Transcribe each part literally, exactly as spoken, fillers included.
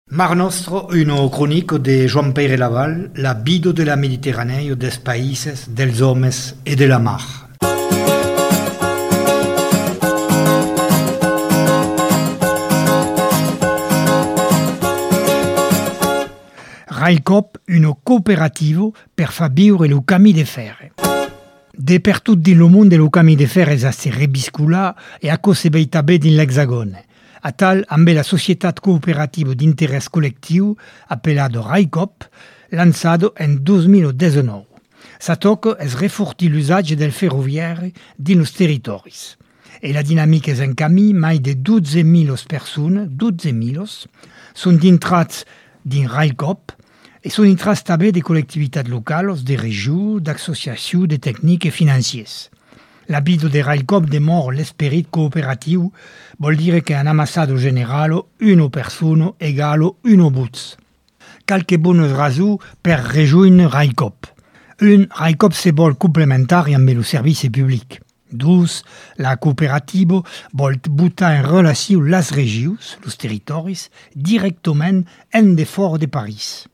Mar Nostro, una cronico de Joan Peire Laval, la vida de la Mediterraneo, des países, dels homes e de la mar. Railcoop, una cooperativa per far viure lo camí de ferre. De per tot din lo monde lo camí de ferre a se rebiscular e a cose beitabè din l'Hexagone. A tal, amb la Societat Cooperativa d'Interès Collectiu, appelado Railcoop, lançado en dos mil diciannove. Sa toca es refortir l'usatge del ferroviari din los territoris. E la dinamica es en camí, mai de dotze mil persones, dotze mil, són dintrats din Railcoop e són intrats també de collectivitats locals, de regions, d'associacions, de tècnics e financiers. La vida de Railcoop demora l'esperit cooperatiu, vol dire che en amassado generalo una persona egalo uno buts. Calque bones rasu per rejoindre Railcoop. Un, Railcoop se vol complementari amb el servici public. Dos, la cooperativa vol butar en relació les regions, los territoris, directament en de fora de París.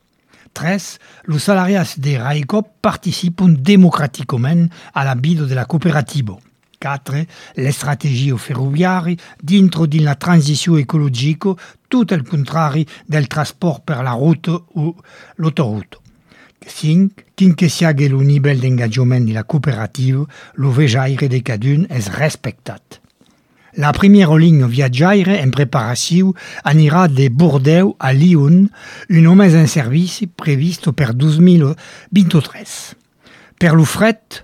Tres, los salariats de Railcoop participen democràticament a la vida de la cooperativa. Quatre, l'estratègia ferroviària dintre de la transició ecologica, tot el contrari del transport per la ruta o l'autoroute. Cinc, quin que siga el nivell d'engagement de la cooperativa, lo vejaire de cadun és respectat. La primera línia viatjaire en preparació anirà de Bordeaux a Lyon, un només en servici previst per dos mil vint-i-tres. Per lo fret,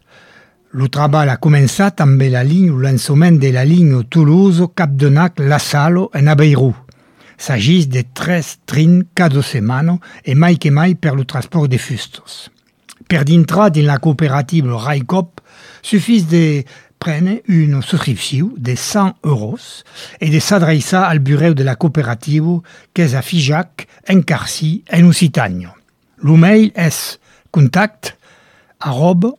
lo treball ha començat amb la línia o lançament de la línia Toulouse-Capdenac-La Salle en Aveiro. S'agís de tres trins cada setmana e mai que mai per lo transport de fustos. Per dintrar din la cooperativa Railcoop, suffís de prendre una subscripció de cent euros et de s'adreçar al bureau de la cooperativa que és a Figeac, en Carcí, en Occitània. Lo mail és contact arroba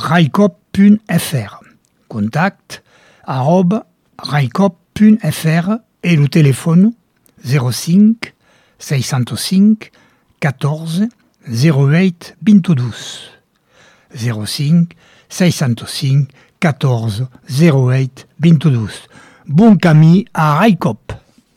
railcoop punt f r. Contact arroba railcoop punt f r et le téléphone zero cinc seis cent cinc catorze zero huit vint-i-dos. zero cinc seis cent cinc catorze zero huit vint-i-dos. Bon camí a Railcoop.